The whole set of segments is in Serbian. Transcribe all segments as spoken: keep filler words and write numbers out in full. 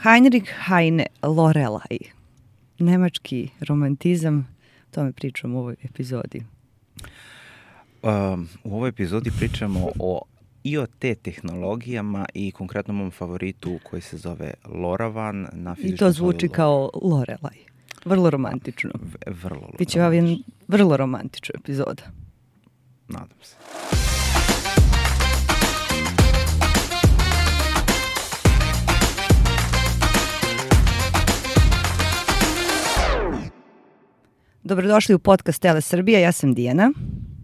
Heinrich Heine Loreley. Nemački romantizam, o tome pričamo u ovoj epizodi. Um, u ovoj epizodi pričamo o I O T tehnologijama i konkretno mom favoritu koji se zove LoRaWAN. Na I to zvuči kao Loreley. Vrlo romantično. V- vrlo romantično. Biće vam jedan vrlo romantična epizoda. Nadam se. Dobrodošli u podcast Tele Srbija, ja sam Dijana.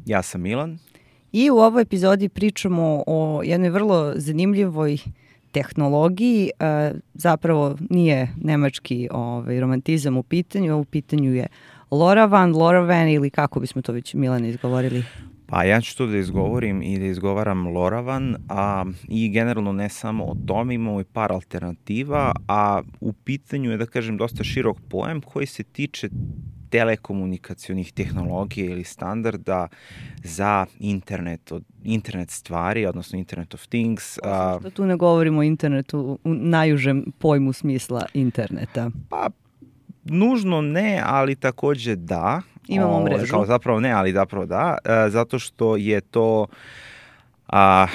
Ja sam Milan. I u ovoj epizodi pričamo o jednoj vrlo zanimljivoj tehnologiji. E, zapravo nije nemački ovaj, romantizam u pitanju, u pitanju je LoRaWAN, LoRaWAN ili kako bismo to već Milane izgovorili? Pa ja ću to da izgovorim i da izgovaram LoRaWAN, a i generalno ne samo o tome, imamo i par alternativa, a u pitanju je, da kažem, dosta širok pojam koji se tiče telekomunikacionih tehnologija ili standarda za internet, od, internet stvari, odnosno Internet of Things. A, što tu ne govorimo o internetu u najužem pojmu smisla interneta? Pa, nužno ne, ali takođe da. Imamo o, mrežu. Kao zapravo ne, ali zapravo da, a, zato što je to a,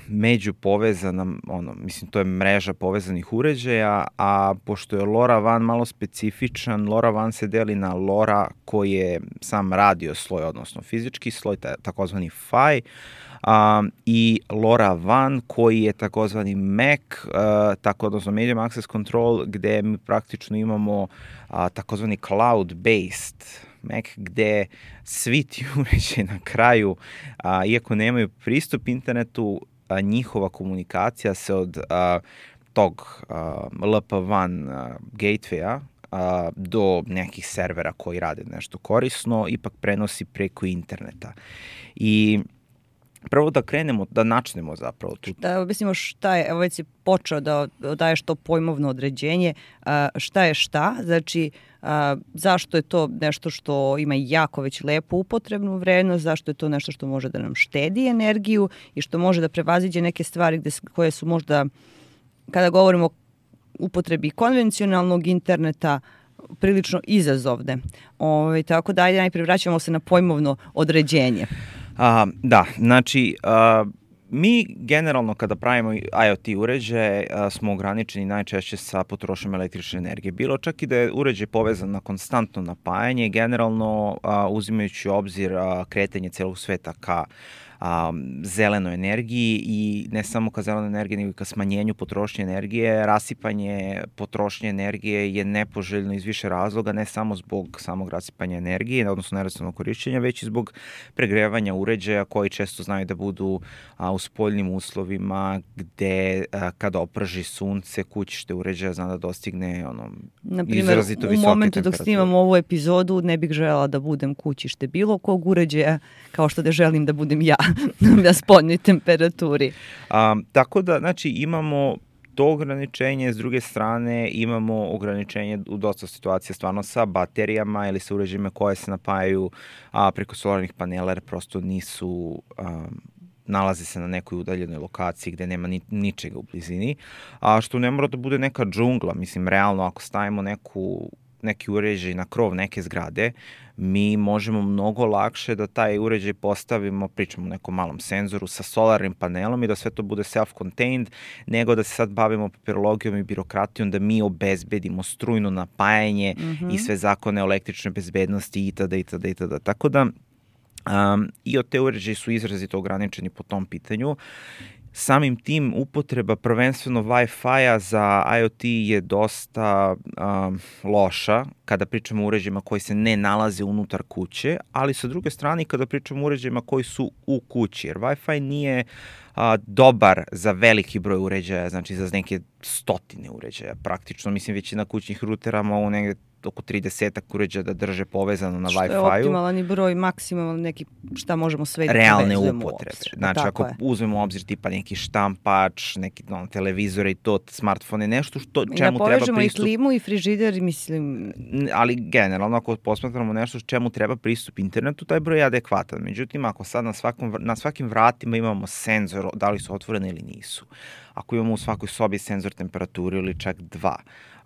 među povezana, ono, mislim, to je mreža povezanih uređaja, a pošto je LoRaWAN malo specifičan, LoRaWAN se deli na LoRa koji je sam radio sloj, odnosno fizički sloj, takozvani F A I, Um, i LoRaWAN koji je takozvani M A C, uh, tako odnosno Medium Access Control, gde mi praktično imamo uh, takozvani cloud-based M A C, gde svi ti uređaji na kraju, uh, iako nemaju pristup internetu, uh, njihova komunikacija se od uh, tog uh, L P W A N uh, gatewaya uh, do nekih servera koji rade nešto korisno, ipak prenosi preko interneta. I prvo da krenemo, da načnemo zapravo tu. Da objasnimo šta je, evo već si počeo da daješ to pojmovno određenje, a, šta je šta, znači a, zašto je to nešto što ima jako već lepu upotrebnu vrednost, zašto je to nešto što može da nam štedi energiju i što može da prevaziđe neke stvari gde, koje su možda, kada govorimo o upotrebi konvencionalnog interneta, prilično izazovne. Ove, tako da ajde najprije vraćamo se na pojmovno određenje. A, da, znači, a, mi generalno kada pravimo I O T uređaje a, smo ograničeni najčešće sa potrošnjom električne energije. Bilo čak i da je uređaj povezan na konstantno napajanje, generalno a, uzimajući u obzir a, kretanje celog sveta ka a, zelenoj energiji i ne samo ka zelenoj energiji, nego i ka smanjenju potrošnje energije. Rasipanje potrošnje energije je nepoželjno iz više razloga, ne samo zbog samog rasipanja energije, odnosno neracionalnog korišćenja, već i zbog pregrevanja uređaja koji često znaju da budu a, u spoljnim uslovima gde a, kada oprži sunce, kućište uređaja zna da dostigne ono, izrazito visoke temperature. U momentu dok snimam ovu epizodu ne bih želela da budem kućište bilo kog uređaja, kao što da želim da budem ja na spoljnoj temperaturi. A, tako da, znači, imamo to ograničenje, s druge strane imamo ograničenje u dosta situacija stvarno sa baterijama ili sa uređajima koje se napajaju a, preko solarnih panela, jer prosto nisu, a, nalaze se na nekoj udaljenoj lokaciji gde nema ni, ničega u blizini, a što ne mora da bude neka džungla, mislim, realno ako stavimo neku neki uređaj na krov neke zgrade, mi možemo mnogo lakše da taj uređaj postavimo, pričamo o nekom malom senzoru sa solarnim panelom i da sve to bude self-contained, nego da se sad bavimo papirologijom i birokratijom, da mi obezbedimo strujno napajanje mm-hmm. i sve zakone o električnoj bezbednosti itd. itd. itd. Tako da um, I O T uređaji su izrazito ograničeni po tom pitanju. Samim tim upotreba prvenstveno Wi-Fi-a za I O T je dosta um, loša kada pričamo o uređajima koji se ne nalaze unutar kuće, ali sa druge strane kada pričamo o uređajima koji su u kući, jer Wi-Fi nije a, dobar za veliki broj uređaja, znači za neke stotine uređaja praktično. Mislim, većina kućnih rutera mogu negde oko tridesetak uređaja da drže povezano na Wi-Fi-u. Što je optimalan i broj, maksimalan neki, šta možemo sve da realne povezujemo upotrebe. uopšte. Znači, tako ako je. uzmemo u obzir tipa neki štampač, neki no, televizore i to, smartfone, nešto što, čemu I da treba povežemo pristup. I klimu i frižider, mislim... Ali generalno, ako posmatramo nešto čemu treba pristup internetu, taj broj je adekvatan. Međutim, ako sad na, svakom, na svakim vratima imamo senzor, da li su otvorene ili nisu, ako imamo u svakoj sobi senzor temperature ili čak dva,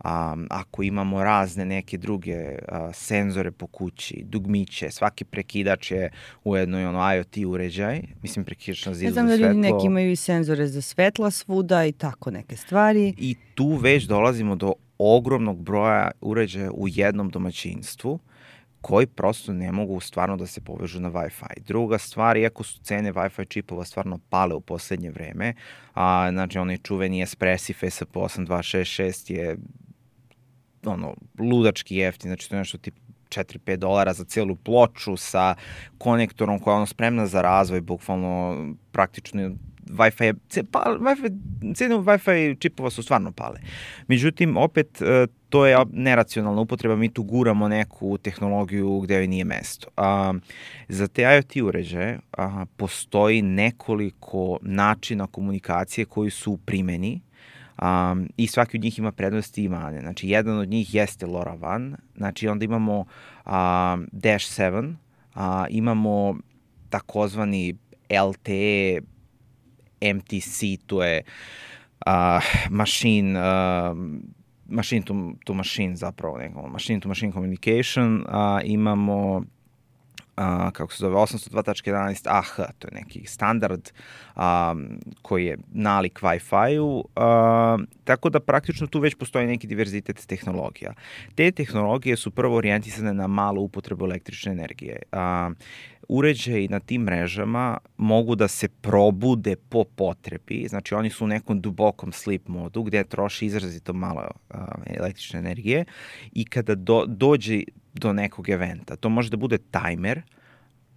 um, ako imamo razne neke druge uh, senzore po kući, dugmiće, svaki prekidač je ujedno i ono I O T uređaj, mislim prekidač na zidu za svetlo. Ja znam da ljudi neki imaju i senzore za svetla svuda i tako neke stvari. I tu već dolazimo do ogromnog broja uređaja u jednom domaćinstvu koji prosto ne mogu stvarno da se povežu na Wi-Fi. Druga stvar, iako su cene Wi-Fi čipova stvarno pale u poslednje vreme, a, znači onaj čuveni Espressif E S P osam dva šest šest je ono, ludački jeftin, znači to je nešto tipa četiri do pet dolara za celu ploču sa konektorom koja je ono spremna za razvoj, bukvalno praktično Wi-Fi, pa, Wi-Fi, cene Wi-Fi čipova su stvarno pale. Međutim, opet, to je neracionalna upotreba, mi tu guramo neku tehnologiju gde joj nije mesto. A, za te I O T uređaje a, postoji nekoliko načina komunikacije koji su u primeni, Um, i svaki od njih ima prednosti i mane. Znači, jedan od njih jeste LoRaWAN, znači onda imamo um, Dash sedam, uh, imamo takozvani L T E, M T C, to je uh, machine, uh, machine to, to machine zapravo, neko, machine to machine communication, uh, imamo Uh, kako se zove, osamsto dva tačka jedanaest A H, to je neki standard um, koji je nalik Wi-Fi-u, uh, tako da praktično tu već postoji neki diverzitet tehnologija. Te tehnologije su prvo orijentisane na malu upotrebu električne energije. Uh, uređaji na tim mrežama mogu da se probude po potrebi, znači oni su u nekom dubokom sleep modu gde troši izrazito malo uh, električne energije i kada do, dođe do nekog eventa. To može da bude tajmer,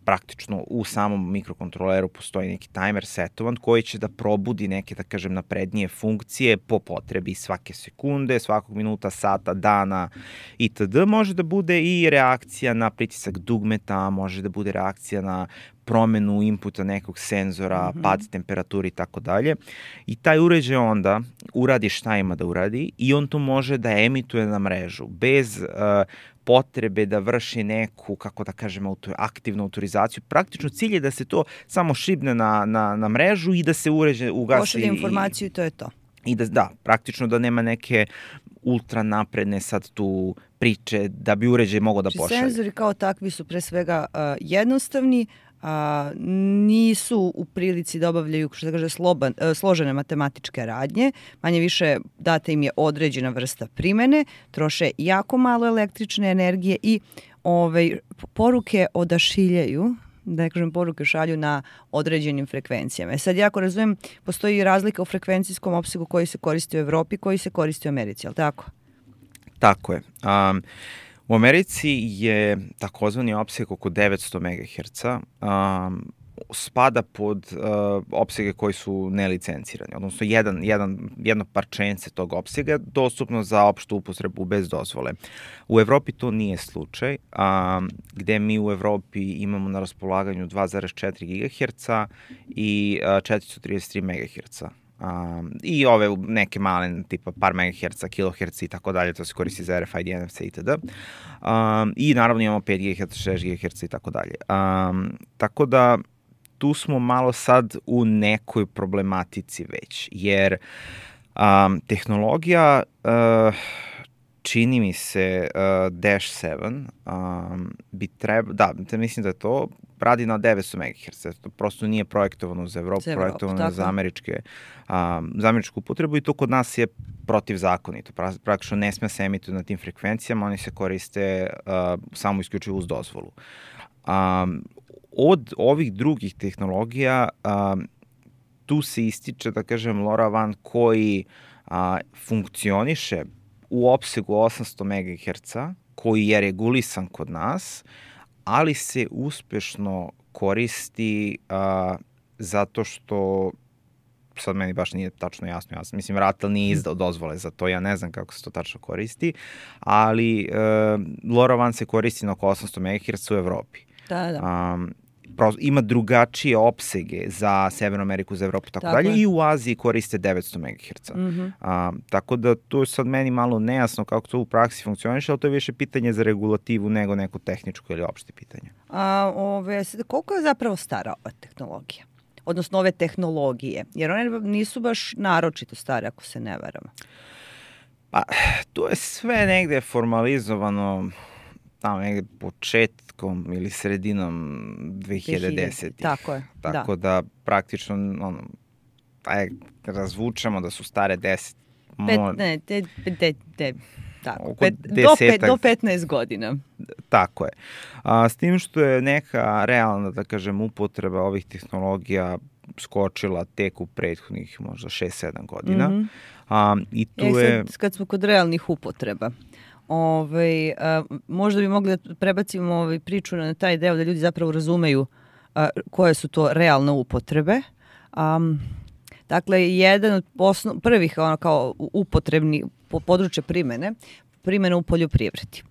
praktično u samom mikrokontroleru postoji neki tajmer setovan koji će da probudi neke, da kažem, naprednije funkcije po potrebi svake sekunde, svakog minuta, sata, dana itd. Može da bude i reakcija na pritisak dugmeta, može da bude reakcija na promenu inputa nekog senzora, mm-hmm. pad temperature i tako dalje. I taj uređaj onda uradi šta ima da uradi i on to može da emituje na mrežu bez uh, potrebe da vrši neku, kako da kažem, auto, aktivnu autorizaciju. Praktično cilj je da se to samo šibne na, na, na mrežu i da se uređaj ugasi. Pošalje informaciju i to je to. I da, da, praktično da nema neke ultra napredne sad tu priče da bi uređaj mogao da pošalje. Senzori kao takvi su pre svega uh, jednostavni, a, nisu u prilici da obavljaju, što se kaže, sloban, složene matematičke radnje, manje više data im je određena vrsta primene, troše jako malo električne energije i ovaj, poruke odašiljaju, da ne kažem poruke šalju na određenim frekvencijama. Sad, jako razumem, postoji razlika u frekvencijskom opsegu koji se koristi u Evropi, koji se koristi u Americi, je li tako? Tako je. Um, U Americi je takozvani opseg oko devetsto megaherca, um, spada pod uh, opsege koji su nelicencirani, odnosno jedan, jedan, jedno parčence tog opsega dostupno za opštu upotrebu bez dozvole. U Evropi to nije slučaj, um, gde mi u Evropi imamo na raspolaganju dva zarez četiri gigaherca i uh, četiristo trideset tri megaherca. Um, i ove neke male tipa par megaherca, kiloherca i tako dalje, to se koristi za R F I D, N F C itd. Um, I naravno imamo pet gigaherca, šest gigaherca i tako dalje. Um, tako da tu smo malo sad u nekoj problematici već, jer um, tehnologija uh, čini mi se uh, Dash sedam um, bi treba, da, mislim da je to, radi na devetsto megaherca, to prosto nije projektovano za Evropu, za Evropu projektovano je za, američke, um, za američku upotrebu i to kod nas je protivzakonito, praktično ne sme se emituje na tim frekvencijama, oni se koriste uh, samo isključivo uz dozvolu. Um, od ovih drugih tehnologija um, tu se ističe, da kažem, LoRaWAN koji uh, funkcioniše u opsegu osamsto megaherca, koji je regulisan kod nas, ali se uspešno koristi uh, zato što, sad meni baš nije tačno jasno, jasno. Mislim, Ratel nije izdao dozvole za to, ja ne znam kako se to tačno koristi, ali uh, LoRaWAN se koristi na oko osamsto megaherca u Evropi. Da, da. Um, ima drugačije opsege za Severnu Ameriku, za Evropu i tako, tako dalje, i u Aziji koriste devetsto megaherca. Mm-hmm. A, tako da to je sad meni malo nejasno kako to u praksi funkcioniše, ali to je više pitanje za regulativu nego neko tehničko ili opšte pitanje. A, ove, koliko je zapravo stara ova tehnologija? odnosno ove tehnologije? Jer one nisu baš naročito stare, ako se ne varam. Pa, to je sve negde formalizovano tamo negde početkom ili sredinom dve hiljade desetih. Tako je, Tako da, da praktično, ono, aj, razvučemo da su stare deset. Pet, ne, te, te, te, tako, pet, do, pet, do petnaest godina. Tako je. A, s tim što je neka realna, da kažem, upotreba ovih tehnologija skočila tek u prethodnih možda šest sedam godina. Mm-hmm. A, i tu e, sad, je... Kad smo kod realnih upotreba, ovaj, a, možda bi mogli da prebacimo ovaj, priču na taj deo da ljudi zapravo razumeju a, koje su to realne upotrebe. Um, dakle, jedan od osnov, prvih ono, kao upotrebni po područje primene, primene u poljoprivredi.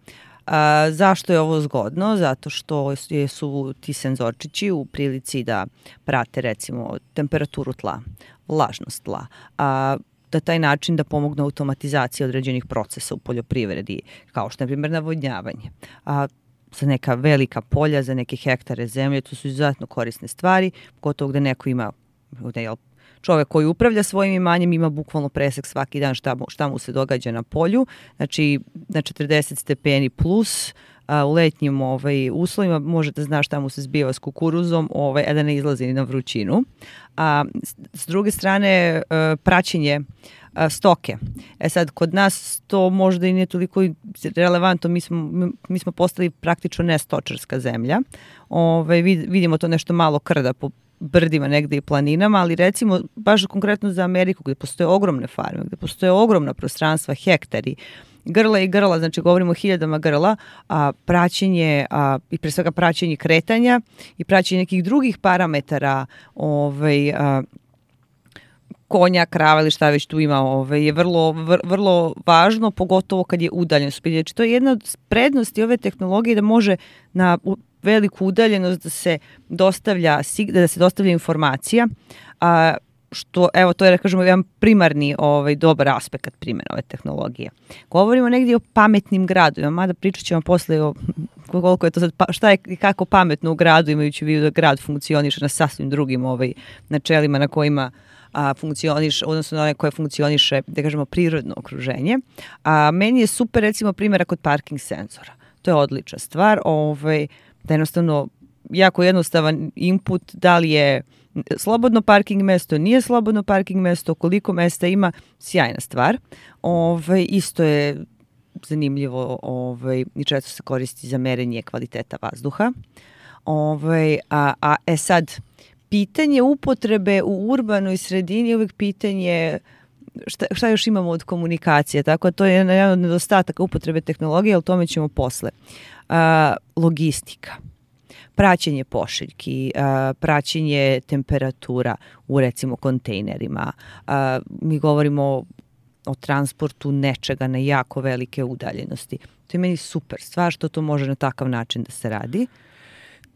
A, zašto je ovo zgodno? Zato što su ti senzorčići u prilici da prate recimo temperaturu tla, vlažnost tla, a da taj način da pomognu automatizaciji određenih procesa u poljoprivredi, kao što je, na primjer, navodnjavanje. A, za neka velika polja, za neke hektare zemlje, to su izuzetno korisne stvari, pogotovo gde neko ima, jel, čovek koji upravlja svojim imanjem ima bukvalno presek svaki dan šta mu, šta mu se događa na polju, znači na četrdeset stepeni plus, a, u letnjim ovaj, uslovima može da zna šta mu se zbiva s kukuruzom, ovaj, a da ne izlazi na vrućinu. A, s, s druge strane, a, praćenje a, stoke. E sad, kod nas to možda i nije toliko relevantno, mi smo, mi, mi smo postali praktično nestočarska zemlja. Ovaj, vid, vidimo to nešto malo krda po brdima negde i planinama, ali recimo baš konkretno za Ameriku gde postoje ogromne farme, gde postoje ogromna prostranstva, hektari, grla i grla, znači govorimo o hiljadama grla, a praćenje, a, i pre svega praćenje kretanja i praćenje nekih drugih parametara ovaj, a, konja, krava ili šta već tu ima, ovaj, je vrlo, vr, vrlo važno, pogotovo kad je udaljenost. Znači to je jedna od prednosti ove tehnologije da može na veliku udaljenost da se dostavlja, da se dostavlja informacija, a, što, evo, to je, da kažemo, jedan primarni ovaj, dobar aspekt primjene ove tehnologije. Govorimo negdje o pametnim gradovima, mada pričat ćemo posle o koliko je to sad, šta je i kako pametno u gradu, imajući vidu da grad funkcioniše na sasvim drugim ovaj, načelima na kojima a, funkcioniše, odnosno na one koje funkcioniše, da kažemo, prirodno okruženje. A meni je super, recimo, primjera kod parking senzora. To je odlična stvar, ovaj, da jednostavno jako jednostavan input, da li je slobodno parking mesto, nije slobodno parking mesto, koliko mesta ima, sjajna stvar. Ove, isto je zanimljivo ove, i često se koristi za merenje kvaliteta vazduha. Ove, a, a e sad, pitanje upotrebe u urbanoj sredini je uvijek pitanje šta, šta još imamo od komunikacije, tako to je jedan od nedostataka upotrebe tehnologije, ali o tome ćemo posle. A, logistika. Praćenje pošiljki, praćenje temperatura u recimo kontejnerima. Mi govorimo o transportu nečega na jako velike udaljenosti. To je meni super stvar što to može na takav način da se radi.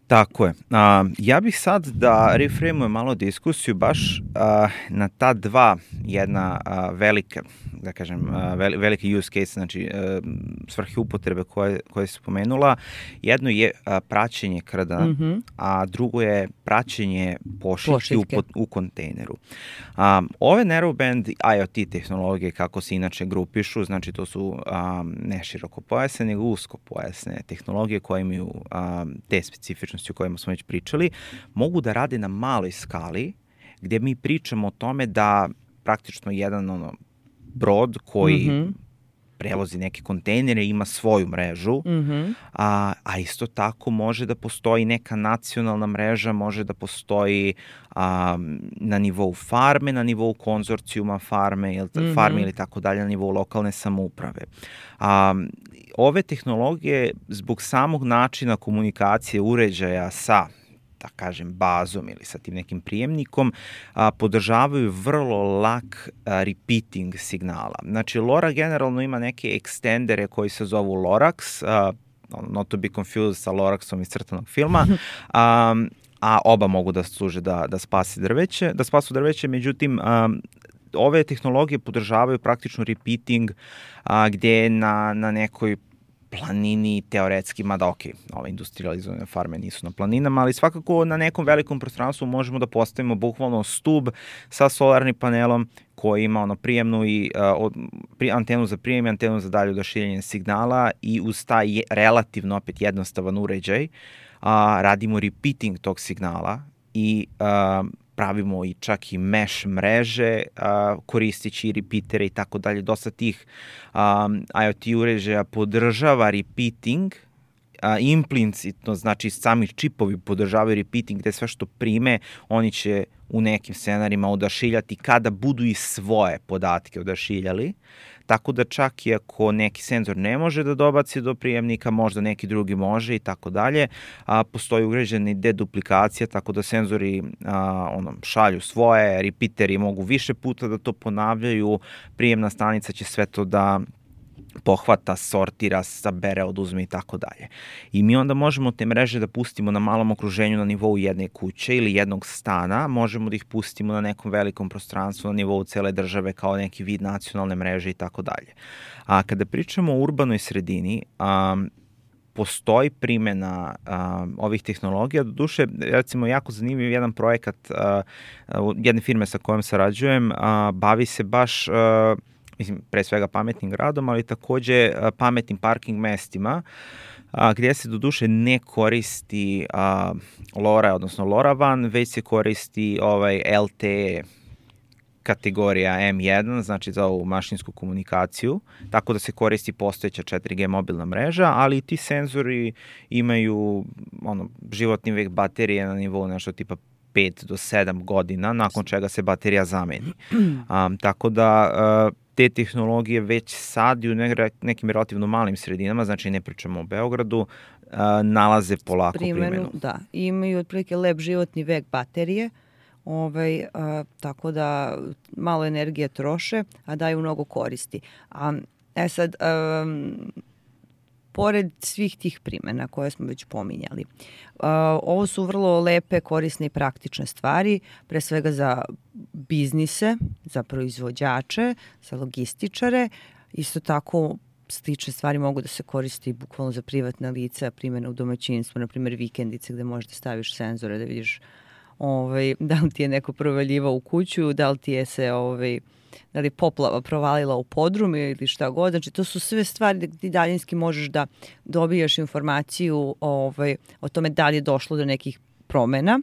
Tako je. A, ja bih sad da reframujem malo diskusiju baš a, na ta dva jedna a, velike, da kažem, a, velike use case, znači a, svrhe upotrebe koje, koje se spomenula. Jedno je a, praćenje krda, mm-hmm. a drugo je praćenje pošiljke u, u kontejneru. A, ove narrowband I O T tehnologije, kako se inače grupišu, znači to su a, ne široko pojasne, nego usko pojasne tehnologije koje imaju a, te specifičnosti o kojima smo već pričali, mogu da rade na maloj skali, gdje mi pričamo o tome da praktično jedan ono, brod koji mm-hmm. prevozi neke kontejnere ima svoju mrežu, mm-hmm. a, a isto tako može da postoji neka nacionalna mreža, može da postoji a, na nivou farme, na nivou konzorcijuma farme, ili, mm-hmm. farme ili tako dalje, na nivou lokalne samouprave. A, ove tehnologije zbog samog načina komunikacije uređaja sa, da kažem, bazom ili sa tim nekim prijemnikom, a, podržavaju vrlo lak a, repeating signala. Znači, LoRa generalno ima neke ekstendere koji se zovu Lorax, a, not to be confused sa Loraxom iz crtanog filma, a, a oba mogu da služe da, da spasi drveće, da spasu drveće, međutim, a, ove tehnologije podržavaju praktično repeating a, gdje na, na nekoj planini teoretski, mada ok, ove industrializovane farme nisu na planinama, ali svakako na nekom velikom prostranstvu možemo da postavimo bukvalno stub sa solarnim panelom koji ima ono prijemnu i uh, pri, antenu za prijem i antenu za dalje odašiljanje signala i uz taj je, relativno opet jednostavan uređaj uh, radimo repeating tog signala i uh, pravimo i čak i mesh mreže, uh, koristići repeatere i tako dalje. Dosta tih um, IoT uređaja podržava repeating, uh, implicitno, znači sami čipovi podržavaju repeating, gde sve što prime, oni će u nekim scenarijima odašiljati kada budu i svoje podatke odašiljali. Tako da čak i ako neki senzor ne može da dobaci do prijemnika, možda neki drugi može i tako dalje, a postoji ugrađena deduplikacija, tako da senzori a, ono, šalju svoje, repeateri mogu više puta da to ponavljaju, prijemna stanica će sve to da pohvata, sortira, sabere, oduzme i tako dalje. I mi onda možemo te mreže da pustimo na malom okruženju na nivou jedne kuće ili jednog stana, možemo da ih pustimo na nekom velikom prostranstvu na nivou cele države kao neki vid nacionalne mreže i tako dalje. A kada pričamo o urbanoj sredini, um, postoji primjena uh, ovih tehnologija. Doduše, recimo, jako zanimljiv jedan projekat uh, jedne firme sa kojom sarađujem, uh, bavi se baš uh, mislim, pre svega pametnim gradom, ali takođe pametnim parking mestima, a, gdje se doduše ne koristi a, LoRa, odnosno LoRaWAN, već se koristi ovaj L T E kategorija M jedan, znači za ovu mašinsku komunikaciju, tako da se koristi postojeća četiri G mobilna mreža, ali ti senzori imaju ono, životni vek baterije na nivou nešto tipa pet do sedam godina, nakon čega se baterija zameni. Um, tako da uh, te tehnologije već sad i u nekim relativno malim sredinama, znači ne pričamo o Beogradu, uh, nalaze polako primjenu. primjenu. Da, imaju otprilike lep životni vek baterije, ovaj, a, tako da malo energije troše, a daju mnogo koristi. A, e sad, a, pored svih tih primjena koje smo već pominjali, a, ovo su vrlo lepe, korisne i praktične stvari, pre svega za biznise, za proizvođače, za logističare, isto tako slične stvari mogu da se koristi bukvalno za privatna lica, primjena u domaćinstvu, na primjer vikendice gde možeš da staviš senzore da vidiš ovaj, da li ti je neko provaljivao u kuću, da li ti je se ovaj, da li poplava provalila u podrum ili šta god. Znači, to su sve stvari da ti daljinski možeš da dobijaš informaciju ovaj, o tome da li je došlo do nekih promena.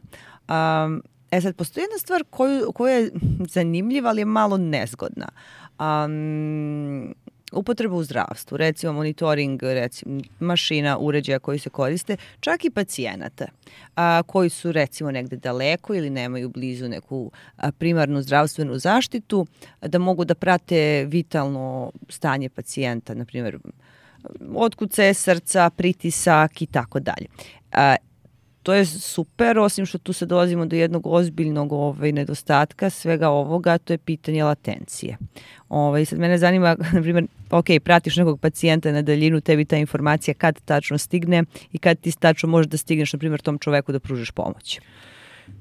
Um, e sad, postoji jedna stvar koju, koja je zanimljiva, ali je malo nezgodna. Um, upotreba u zdravstvu, recimo monitoring recimo, mašina, uređaja koji se koriste, čak i pacijenata a, koji su recimo negde daleko ili nemaju blizu neku a, primarnu zdravstvenu zaštitu, da mogu da prate vitalno stanje pacijenta, na primjer otkucaje srca, pritisak i tako dalje. To je super, osim što tu se dolazimo do jednog ozbiljnog ovaj, nedostatka svega ovoga, to je pitanje latencije. Ovaj, sad mene zanima, na primjer, ok, pratiš nekog pacijenta na daljinu, tebi ta informacija kad tačno stigne i kad ti tačno možeš da stigneš, na primjer, tom čoveku da pružiš pomoć.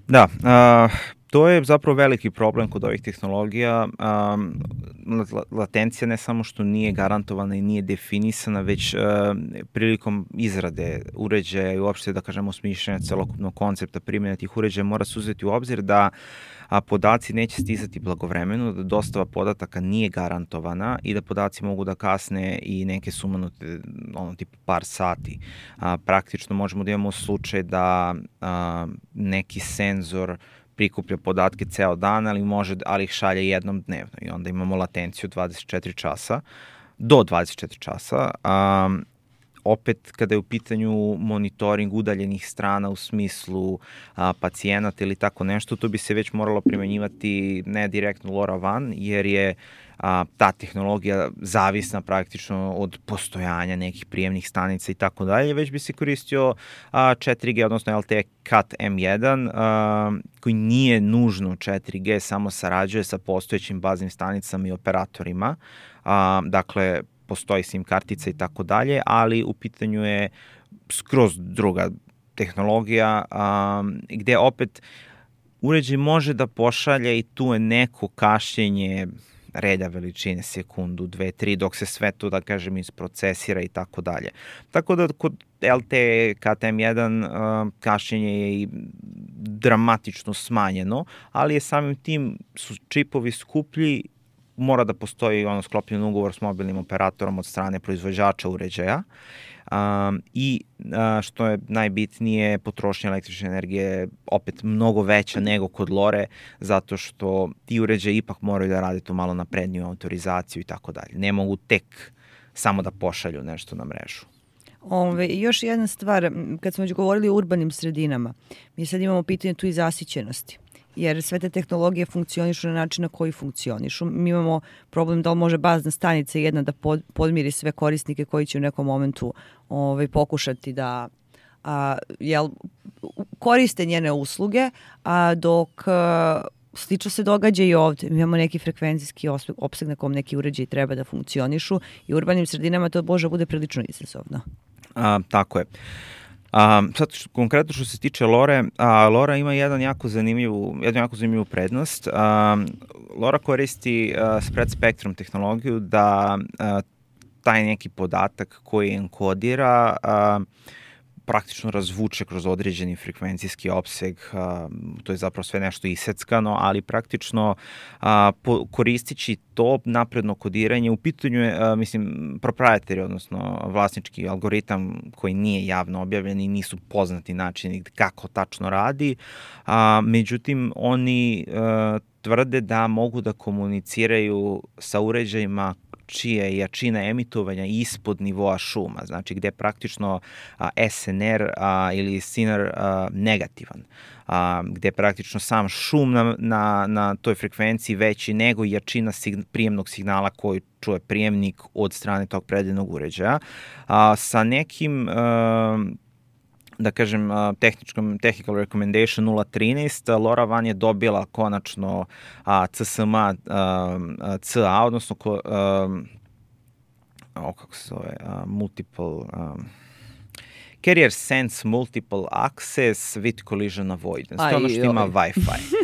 Da, uh, to je zapravo veliki problem kod ovih tehnologija. Um, latencija ne samo što nije garantovana i nije definisana, već uh, prilikom izrade uređaja i uopšte, da kažemo, smišljanja celokupnog koncepta primjene tih uređaja mora se uzeti u obzir da a podaci neće stizati blagovremeno, da dostava podataka nije garantovana i da podaci mogu da kasne i neke sumanute, ono, tipa par sati. A, praktično možemo da imamo slučaj da a, neki senzor prikuplja podatke ceo dan, ali može, ali ih šalje jednom dnevno i onda imamo latenciju dvadeset četiri časa, do dvadeset četiri časa. A, opet, kada je u pitanju monitoring udaljenih strana u smislu a, pacijenata ili tako nešto, to bi se već moralo primenjivati ne direktno LoRaWAN, jer je a, ta tehnologija zavisna praktično od postojanja nekih prijemnih stanica i tako dalje, već bi se koristio a, četiri G, odnosno L T E Cat M jedan, a, koji nije nužno četiri G, samo sarađuje sa postojećim baznim stanicama i operatorima. A, dakle, postoji SIM kartica i tako dalje, ali u pitanju je skroz druga tehnologija, um, gde opet uređaj može da pošalje i tu je neko kašnjenje reda veličine, sekundu, dve, tri, dok se sve to, da kažem, isprocesira i tako dalje. Tako da kod L T E K T M jedan uh, kašnjenje je i dramatično smanjeno, ali je samim tim su čipovi skuplji, mora da postoji ono sklopljen ugovor s mobilnim operatorom od strane proizvođača uređaja. Um, i uh, što je najbitnije, potrošnja električne energije opet mnogo veća nego kod Lore, zato što ti uređaji ipak moraju da rade tu malo napredniju autorizaciju i tako dalje. Ne mogu tek samo da pošalju nešto na mrežu. Ove, još jedna stvar, kad smo već govorili o urbanim sredinama, mi sad imamo pitanje tu i zasićenosti. Jer sve te tehnologije funkcionišu na način na koji funkcionišu. Mi imamo problem da li može bazna stanica jedna da pod, podmiri sve korisnike koji će u nekom momentu ovaj, pokušati da a, jel, koriste njene usluge, a dok a, slično se događa i ovde. Mi imamo neki frekvencijski opseg na kom neki uređaji treba da funkcionišu i u urbanim sredinama to može bude prilično izazovno. A, tako je. A, sad, konkretno što se tiče Lore, a, Lora ima jedan jako zanimljivu, jednu jako zanimljivu prednost. A, Lora koristi a, spread spectrum tehnologiju da a, taj neki podatak koji enkodira a, praktično razvuče kroz određeni frekvencijski opseg, a, to je zapravo sve nešto iseckano, ali praktično a, po, koristići to napredno kodiranje, u pitanju je, a, mislim, proprietary, odnosno vlasnički algoritam koji nije javno objavljen i nisu poznati načini kako tačno radi, a, međutim, oni a, tvrde da mogu da komuniciraju sa uređajima čija je jačina emitovanja ispod nivoa šuma, znači gde je praktično a, S N R a, ili S I N R a, negativan, a, gde je praktično sam šum na, na, na toj frekvenciji veći nego jačina sign, prijemnog signala koji čuje prijemnik od strane tog predivnog uređaja. A, sa nekim a, da kažem, tehničkom, technical recommendation nula trinaest, LoRaWAN je dobila konačno a, C S M A a, C A, odnosno ko, a, o, kako se zove, a, multiple, a, Carrier Sense Multiple Access with Collision Avoidance. To je ono što ima Wi-Fi.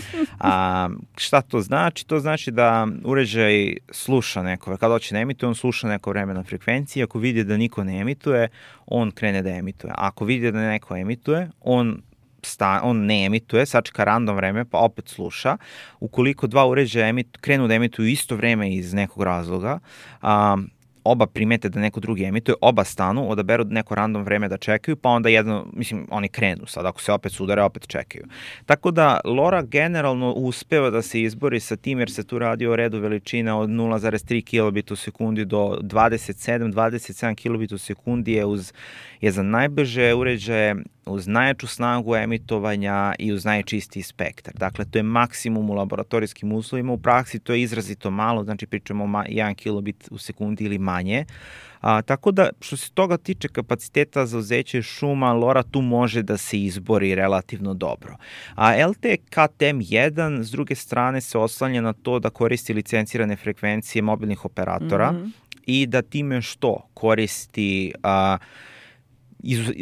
A, šta to znači? To znači da uređaj sluša neko, kada hoće da emituje, on sluša neko vreme na frekvenciji. Ako vidi da niko ne emituje, on krene da emituje. Ako vidi da neko emituje, on Sta, on ne emituje, sačeka random vreme, pa opet sluša. Ukoliko dva uređaja emit, krenu da emituju isto vreme iz nekog razloga, um, oba primete da neko drugi emituje, oba stanu, odaberu neko random vreme da čekaju, pa onda jedno, mislim, oni krenu sad, ako se opet sudare, opet čekaju. Tako da Lora generalno uspeva da se izbori sa tim, jer se tu radi o redu veličina od nula zarez tri kilobita u sekundi do dvadeset sedam do dvadeset sedam kilobita u sekundi je, uz, je za najbrže uređaje, uz najjaču snagu emitovanja i uz najčistiji spektar. Dakle, to je maksimum u laboratorijskim uslovima. U praksi to je izrazito malo, znači pričamo o jedan kilobit u sekundi ili manje. A, tako da, što se toga tiče kapaciteta za uzeće šuma, Lora tu može da se izbori relativno dobro. A L T E K T M jedan, s druge strane, se oslanja na to da koristi licencirane frekvencije mobilnih operatora mm-hmm. i da time što koristi... A,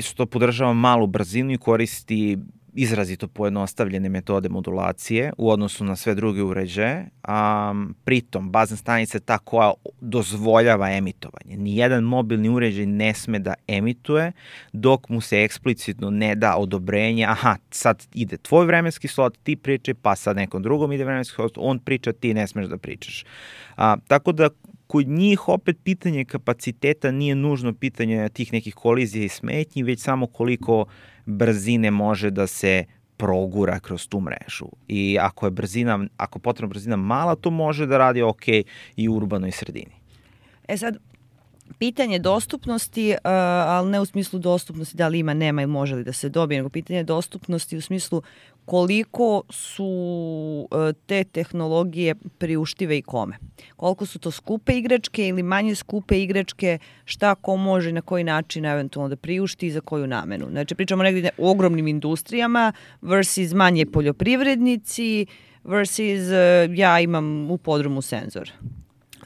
što podržava malu brzinu i koristi izrazito pojednostavljene metode modulacije u odnosu na sve druge uređaje. Um, pritom, bazna stanica je ta koja dozvoljava emitovanje. Nijedan mobilni uređaj ne sme da emituje dok mu se eksplicitno ne da odobrenje. Aha, sad ide tvoj vremenski slot, ti pričaj, pa sad nekom drugom ide vremenski slot, on priča, ti ne smeš da pričaš. Uh, tako da kod njih opet pitanje kapaciteta nije nužno pitanje tih nekih kolizija i smetnji, već samo koliko brzine može da se progura kroz tu mrežu. I ako je brzina, ako potrebna brzina mala, to može da radi ok i u urbanoj sredini. E sad, pitanje dostupnosti, uh, ali ne u smislu dostupnosti da li ima, nema ili može li da se dobije, nego pitanje dostupnosti u smislu koliko su uh, te tehnologije priuštive i kome. Koliko su to skupe igračke ili manje skupe igračke, šta ko može na koji način eventualno da priušti i za koju namenu. Znači pričamo negdje o ogromnim industrijama versus manje poljoprivrednici versus uh, ja imam u podrumu senzor.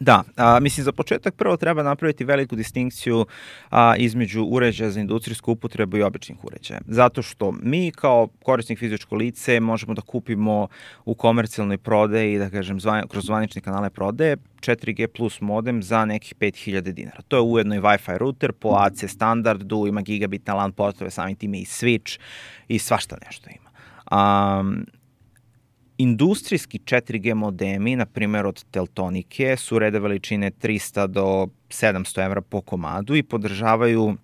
Da, a, mislim za početak prvo treba napraviti veliku distinkciju a, između uređaja za industrijsku upotrebu i običnih uređaja. Zato što mi kao korisnik fizičko lice možemo da kupimo u komercijalnoj prodaji, da kažem, zvan, kroz zvanične kanale prodaje četiri G plus modem za nekih pet hiljada dinara. To je ujedno i Wi-Fi router po A C standardu, ima gigabitne LAN portove, samim time i switch i svašta nešto ima. Um, Industrijski četiri G modemi, na primjer od Teltonike, su reda veličine trista do sedamsto evra po komadu i podržavaju uh,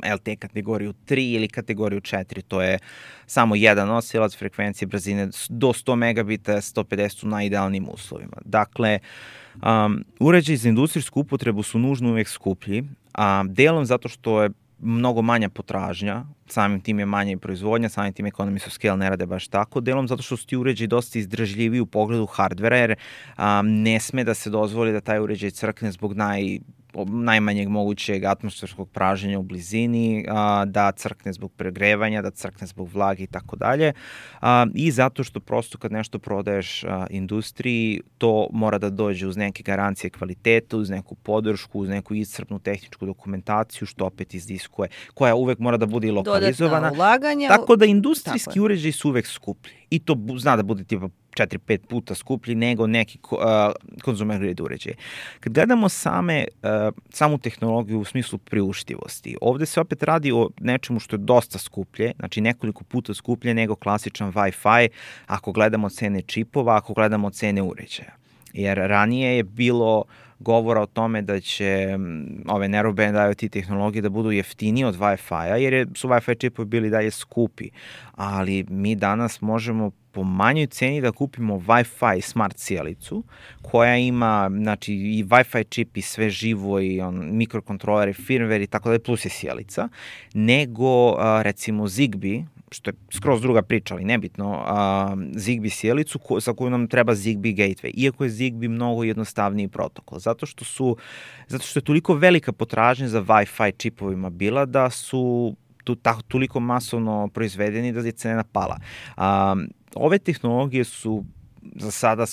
L T E kategoriju tri ili kategoriju četiri, to je samo jedan nosilac frekvencije brzine do sto megabita, sto pedeset u najidealnijim uslovima. Dakle, um, uređaji za industrijsku upotrebu su nužno uvek skuplji, a delom zato što je mnogo manja potražnja, samim tim je manja i proizvodnja, samim tim economies of scale ne rade baš tako, delom zato što su ti uređaji dosta izdržljiviji u pogledu hardvera, jer um, ne sme da se dozvoli da taj uređaj crkne zbog naj najmanjeg mogućeg atmosferskog praženja u blizini, a, da crkne zbog pregrevanja, da crkne zbog vlage i tako dalje. I zato što prosto kad nešto prodaješ a, industriji, to mora da dođe uz neke garancije kvaliteta, uz neku podršku, uz neku iscrpnu tehničku dokumentaciju, što opet izdiskuje, koja uvek mora da bude i lokalizovana. Dodatna ulaganja. Tako da industrijski uređaji su uvek skuplji. I to zna da bude tipa četiri pet puta skuplji nego neki uh, consumer grade uređaje. Kad gledamo same, uh, samu tehnologiju u smislu priuštivosti, ovde se opet radi o nečemu što je dosta skuplje, znači nekoliko puta skuplje nego klasičan Wi-Fi, ako gledamo cene čipova, ako gledamo cene uređaja. Jer ranije je bilo govora o tome da će ove narrowband IoT tehnologije da budu jeftinije od Wi-Fi-a, jer je, su Wi-Fi čipovi bili dalje skupi. Ali mi danas možemo po manjoj ceni da kupimo Wi-Fi smart sjelicu, koja ima, znači, i Wi-Fi čip i sve živo i on, mikrokontroler i firmware i tako da je, plus je sjelica, nego, a, recimo, Zigbee, što je skroz druga priča, ali nebitno, a, Zigbee sjelicu ko, za koju nam treba Zigbee gateway, iako je Zigbee mnogo jednostavniji protokol, zato što su, zato što je toliko velika potražnja za Wi-Fi čipovima bila da su tu, tako, toliko masovno proizvedeni da je cena pala. A, ove tehnologije su za sada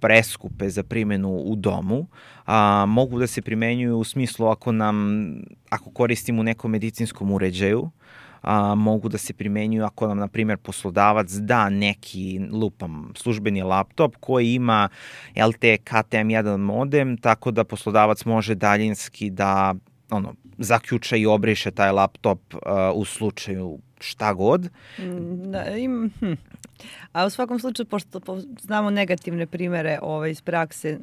preskupe za primjenu u domu, a, mogu da se primenjuju u smislu ako nam, ako koristimo u nekom medicinskom uređaju, a, mogu da se primenjuju ako nam, na primjer, poslodavac da neki, lupam, službeni laptop koji ima L T E K T M jedan modem, tako da poslodavac može daljinski da ono, zaključa i obriše taj laptop uh, u slučaju šta god. Da, im, hm. A u svakom slučaju, pošto po, znamo negativne primere ovaj, iz prakse,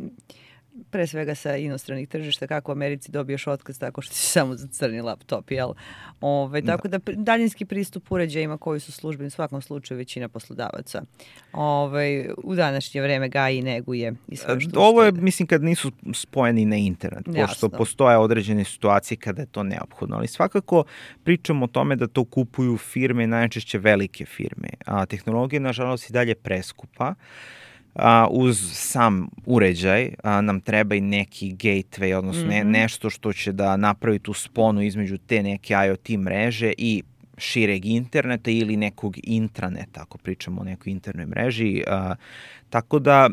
pre svega sa inostranih tržišta, kako u Americi dobiješ otkaz tako što si samo za crni laptop, jel? Ove, tako da, da daljinski pristup uređajima koji su službeni u svakom slučaju većina poslodavaca Ove, u današnje vreme gaji i neguje i sve što ovo je, mislim, kad nisu spojeni na internet, Jasno. Pošto postoje određene situacije kada je to neophodno, ali svakako pričamo o tome da to kupuju firme, najčešće velike firme, a tehnologija nažalost i dalje preskupa. A, uz sam uređaj a, nam treba i neki gateway, odnosno mm-hmm. ne, nešto što će da napravi tu sponu između te neke IoT mreže i šireg interneta ili nekog intraneta, ako pričamo o nekoj internoj mreži. A, tako da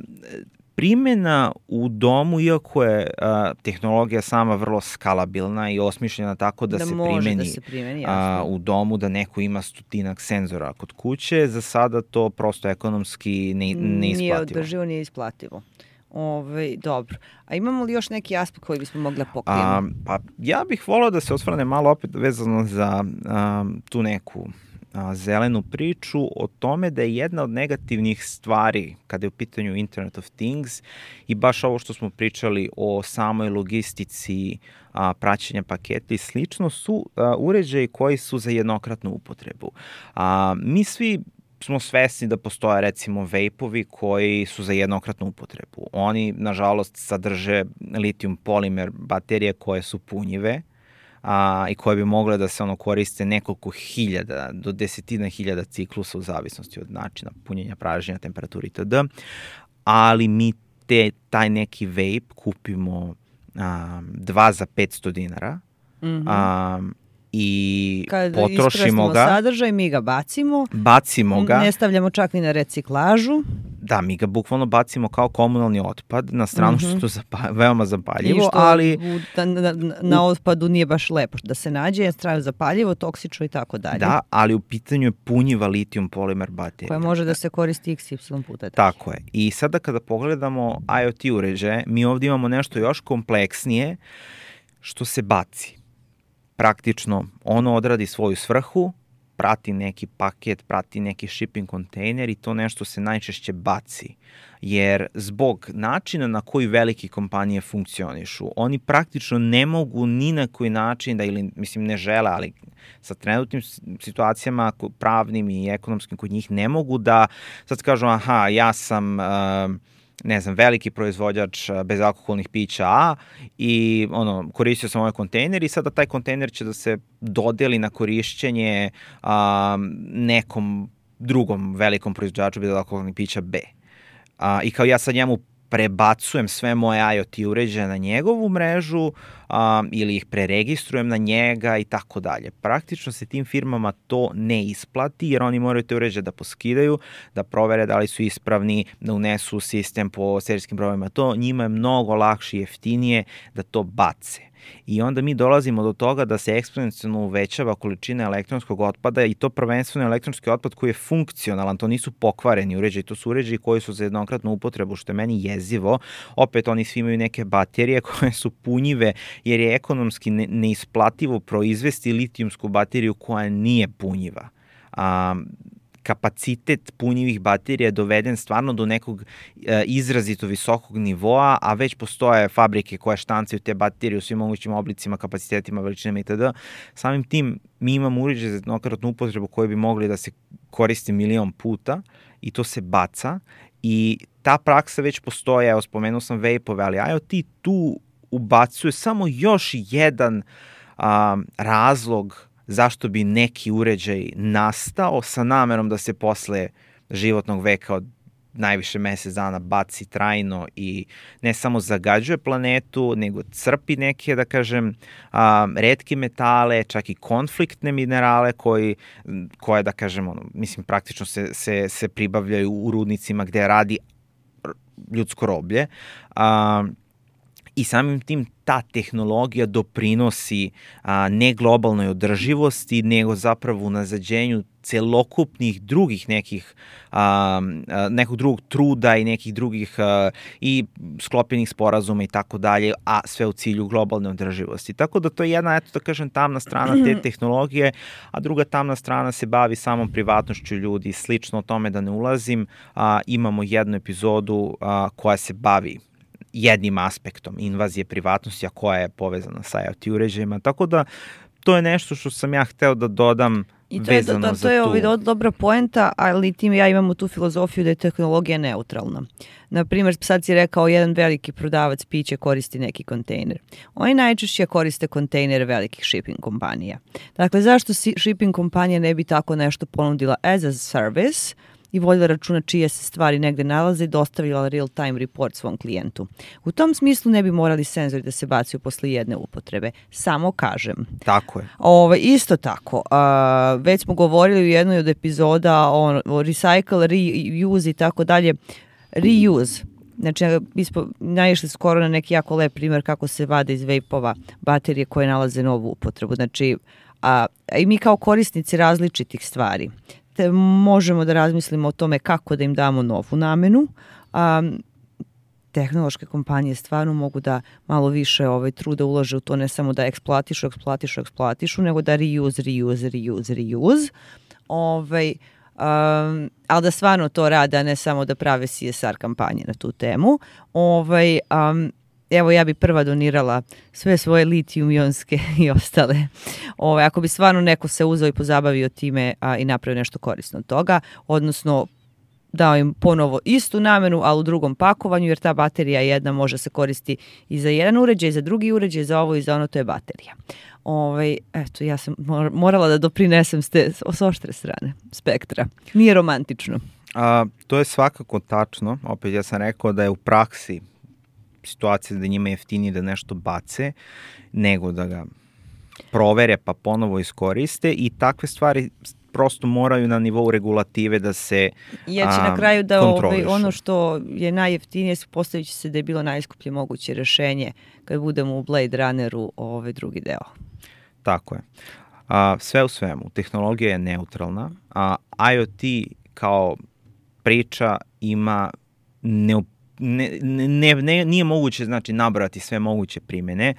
primjena u domu, iako je a, tehnologija sama vrlo skalabilna i osmišljena tako da, da se primeni, da se primeni a, u domu, da neko ima stotinak senzora kod kuće, za sada to prosto ekonomski ne, neisplativo. Nije održivo, nije isplativo. Ove, dobro. A imamo li još neki aspekt koji bismo mogli pokrijemo? Pa ja bih volao da se osvrne malo opet vezano za a, tu neku a, zelenu priču o tome da je jedna od negativnih stvari kada je u pitanju Internet of Things i baš ovo što smo pričali o samoj logistici a, praćenja paketa i slično su a, uređaji koji su za jednokratnu upotrebu. A, mi svi smo svesni da postoje recimo vejpovi koji su za jednokratnu upotrebu. Oni, nažalost, sadrže litijum polimer baterije koje su punjive a, i koje bi mogle da se ono koriste nekoliko hiljada do desetina hiljada ciklusa u zavisnosti od načina punjenja, praženja, temperaturi itd. Ali mi te, taj neki vape kupimo a, dva za petsto dinara, mm-hmm. a, i kad potrošimo ga. sadržaj, mi ga bacimo. Bacimo ga. Ne stavljamo čak ni na reciklažu. da, mi ga bukvalno bacimo kao komunalni otpad, na stranu što je to zapa, veoma zapaljivo, što ali... U, na, na, na otpadu nije baš lepo da se nađe, je strano zapaljivo, toksično i tako dalje. Da, ali u pitanju je punjiva litijum polimer baterija. Koja može da se koristi iks ipsilon puta. Tako je. I sada kada pogledamo IoT uređaje, mi ovdje imamo nešto još kompleksnije što se baci. Praktično, ono odradi svoju svrhu, prati neki paket, prati neki shipping kontejner i to nešto se najčešće baci. Jer zbog načina na koji velike kompanije funkcionišu, oni praktično ne mogu ni na koji način da, ili mislim ne žele, ali sa trenutnim situacijama pravnim i ekonomskim kod njih ne mogu da sad kažu aha, ja sam... Uh, ne znam, veliki proizvođač bezalkoholnih pića A i ono, koristio sam ovaj kontejner i sada taj kontejner će da se dodeli na korišćenje a, nekom drugom velikom proizvođaču bezalkoholnih pića B. A, I kao ja sad njemu prebacujem sve moje IoT uređaje na njegovu mrežu a, ili ih preregistrujem na njega i tako dalje. Praktično se tim firmama to ne isplati jer oni moraju te uređaje da poskidaju, da provere da li su ispravni, da unesu sistem po serijskim brojevima. To njima je mnogo lakše i jeftinije da to bace. I onda mi dolazimo do toga da se eksponencijalno uvećava količina elektronskog otpada i to prvenstveno elektronski otpad koji je funkcionalan, to nisu pokvareni uređaji, to su uređaji koji su za jednokratnu upotrebu, što je meni jezivo. Opet oni svi imaju neke baterije koje su punjive jer je ekonomski ne, neisplativo proizvesti litijumsku bateriju koja nije punjiva. Um, kapacitet punjivih baterija je doveden stvarno do nekog e, izrazito visokog nivoa, a već postoje fabrike koje štancaju te baterije u svim mogućim oblicima, kapacitetima, veličinama itd. Samim tim mi imamo uređaj za jednokratnu upotrebu koji bi mogli da se koristi milion puta i to se baca i ta praksa već postoje, evo spomenuo sam vape-ove, ali IoT tu ubacuje samo još jedan a, razlog zašto bi neki uređaj nastao sa namerom da se posle životnog veka od najviše mesec dana baci trajno i ne samo zagađuje planetu, nego crpi neke, da kažem, a, retke metale, čak i konfliktne minerale koji, koje, da kažem, ono, mislim, praktično se, se, se pribavljaju u rudnicima gde radi ljudsko roblje. A, I samim tim ta tehnologija doprinosi a, ne globalnoj održivosti, nego zapravo u nazađenju celokupnih drugih nekih, a, a, nekog drugog truda i nekih drugih a, i sklopljenih sporazuma i tako dalje, a sve u cilju globalne održivosti. Tako da to je jedna, eto da kažem, tamna strana te tehnologije, a druga tamna strana se bavi samom privatnošću ljudi. Slično o tome da ne ulazim, a, imamo jednu epizodu a, koja se bavi jednim aspektom invazije privatnosti, a koja je povezana sa IoT uređajima. Tako da to je nešto što sam ja hteo da dodam I to je, vezano da, to za je tu. ovaj do, dobra poenta, ali tim ja imamo tu filozofiju da je tehnologija neutralna. Naprimjer, sad si rekao jedan veliki prodavac piće koristi neki kontejner. Oni najčešće koriste kontejnere velikih shipping kompanija. Dakle, zašto si, shipping kompanija ne bi tako nešto ponudila as a service i vodila računa čije se stvari negde nalaze i dostavila real-time report svom klijentu. U tom smislu ne bi morali senzori da se bacaju posle jedne upotrebe. Samo kažem. Tako je. Ove, isto tako. A, već smo govorili u jednoj od epizoda o, o recycle, reuse i tako dalje. Reuse. Znači, mi smo naišli skoro na neki jako lep primjer kako se vade iz vape-ova baterije koje nalaze novu upotrebu. Znači, a, a i mi kao korisnici različitih stvari te možemo da razmislimo o tome kako da im damo novu namenu. A, tehnološke kompanije stvarno mogu da malo više ovaj, truda ulože u to, ne samo da eksploatišu, eksploatišu, eksploatišu, nego da reuse, reuse, reuse, reuse. Ovaj, um, ali da stvarno to rade, a ne samo da prave C S R kampanje na tu temu. Ovaj, um, evo ja bi prva donirala sve svoje litijum-ionske i ostale. Ove, ako bi stvarno neko se uzeo i pozabavio time a, i napravio nešto korisno od toga, odnosno dao im ponovo istu namenu, ali u drugom pakovanju, jer ta baterija jedna može se koristi i za jedan uređaj, i za drugi uređaj, za ovo i za ono, to je baterija. Ove, eto, ja sam morala da doprinesem s, te, s oštre strane spektra. Nije romantično. A, to je svakako tačno. Opet ja sam rekao da je u praksi situacija da njima je jeftinije da nešto bace, nego da ga provere pa ponovo iskoriste i takve stvari prosto moraju na nivou regulative da se Ja će na kraju da ovaj, ono što je najjeftinije, postavit će se da je bilo najskuplje moguće rešenje kad budemo u Blade Runneru ovaj drugi deo. Tako je. A, sve u svemu, tehnologija je neutralna, a IoT kao priča ima ne, ne, ne, ne, nije moguće znači nabrati sve moguće primjene,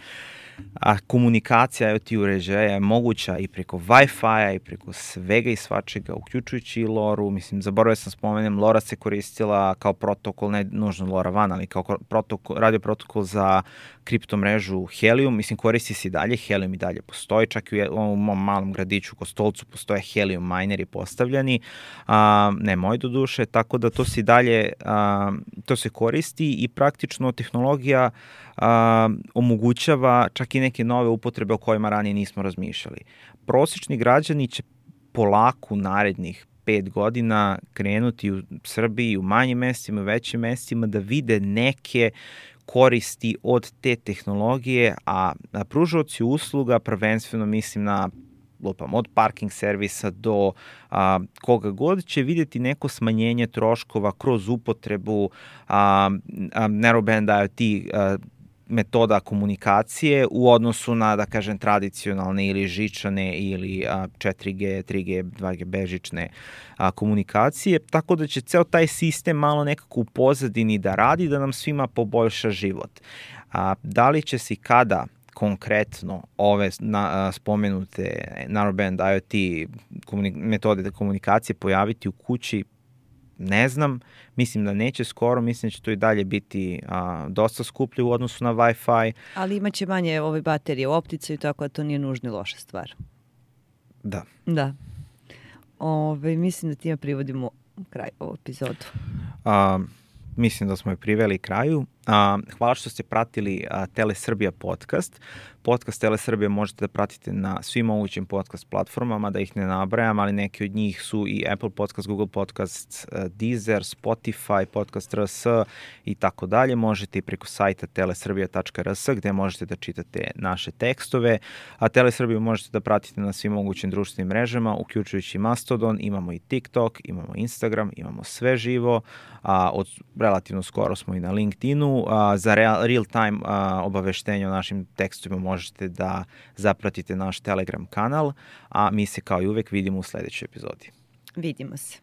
a komunikacija IoT uređaja je moguća i preko Wi-Fi-a i preko svega i svačega, uključujući i LoRu. Mislim, zaboravio sam spomenem, LoRa se koristila kao protokol, ne nužno LoRaWAN, ali kao protokol, radio protokol za kriptomrežu Helium. Mislim, koristi se i dalje, Helium i dalje postoji, čak i u mom malom gradiću u Kostolcu postoje Helium mineri postavljeni, a, ne moj do duše, tako da to se i dalje, a, to se koristi i praktično tehnologija a, omogućava čak i neke nove upotrebe o kojima ranije nismo razmišljali. Prosječni građani će polako narednih pet godina krenuti u Srbiji, u manjim mestima, u većim mestima, da vide neke koristi od te tehnologije, a pružaoci usluga, prvenstveno mislim na lupam, od parking servisa do a, koga god, će vidjeti neko smanjenje troškova kroz upotrebu a, a, narrowband IoT a, metoda komunikacije u odnosu na, da kažem, tradicionalne ili žičane ili a, četiri G, tri G, dva G bežične a, komunikacije, tako da će ceo taj sistem malo nekako u pozadini da radi, da nam svima poboljša život. A, da li će se i kada konkretno ove na, a, spomenute narrowband IoT komunik metode komunikacije pojaviti u kući, ne znam, mislim da neće skoro, mislim da će to i dalje biti a, dosta skuplje u odnosu na Wi-Fi. Ali imaće manje ove baterije u opticaju, tako da to nije nužno loša stvar. Da. Da. Ove, mislim da time privodimo kraj ovu epizodu. A, mislim da smo je priveli kraju. A, hvala što ste pratili a, Telesrbija podcast. Podcast Telesrbija možete da pratite na svim mogućim podcast platformama, da ih ne nabrajam, ali neki od njih su i Apple Podcast, Google Podcast, Deezer, Spotify, Podcast R S i tako dalje. Možete i preko sajta telesrbija tačka r s gde možete da čitate naše tekstove, a Telesrbiju možete da pratite na svim mogućim društvenim mrežama, uključujući Mastodon, imamo i TikTok, imamo Instagram, imamo sve živo, a od relativno skoro smo i na LinkedInu. A, za real, real time a, obaveštenje o našim tekstovima možete da zapratite naš Telegram kanal, a mi se kao i uvek vidimo u sledećoj epizodi. Vidimo se.